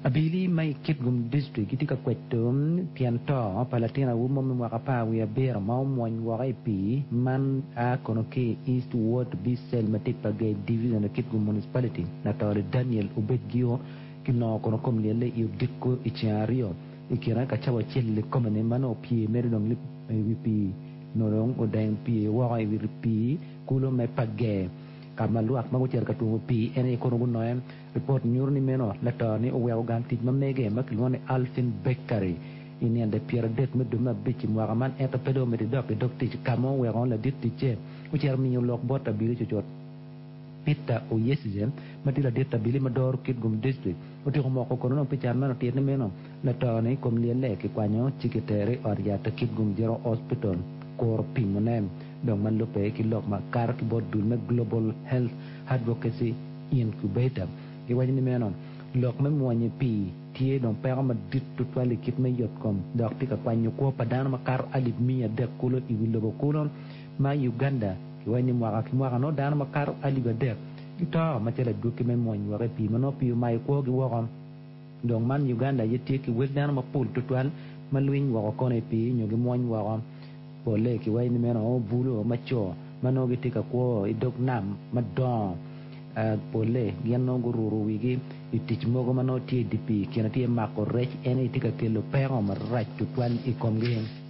Abili ma i Kitgum District gitye ka kweto tyen to pa latin awobi mo me mwaka 17 ma omwony woko i pii man a kono ki i East Ward B Cell ma tye i Pagei Division i Kitgum Municipality. Latore Daniel Obedgio kinongo kono kom lyelle i odiko i ceng aryo i kine ka cawa acel kome-ni ma nongo opye mere dong i wi pii nongo dong odeng pii woko i wi pii kulu me Pagei ka ma lwak ma gucito ka twomo pii en aye kono gunonge. Ripot nyuto ni meno lato-ni oweko gang tic ma mege ma kilwongo ni Alpine Bakery i nino 30 me dwe me abic i mwaka man ento pe dong omedde dok i dog tic ka ma oweko ladit ticce ocito miyo lok bot abili cucut. Peter Oyesize ma tye ladit abili ma doro Kitgum District otyeko moko kono dong pi can man otit ni meno lato-ni kom lyelle kikwanyo ci kitere i ot yat Kitgum General Hospital kuro pimone dong ma lubbe ki lok ma kato ki bot dul me Global Health Advocacy Incubator. Giwaco ni meno lok me mwony i pii tye dong peko madit tutwal i kit me yotkom dok tye ka kwanyo kwo pa dano makato alip 300 kulu i wi lobo kulu ma Uganda. Giwaco ni mwaka ki mwaka nongo dano makato alip adek gito macalo adwogi me mwony woko i pii ma nongo pii omayo kwogi woko. Dong man Uganda aye tye ki wel dano mapol tutwal ma lwiny woko kono i pii nyo gimwony woko. Polle kiwaco ni meno bulo ma co ma nongo gitye ka kwo i dog nam madongo. Polle gin nongo guruto wigi i tic mogo ma nongo tye i dye pii, kine tye mako rec, en aye tye ka kelo peko marac tutwal i komgi.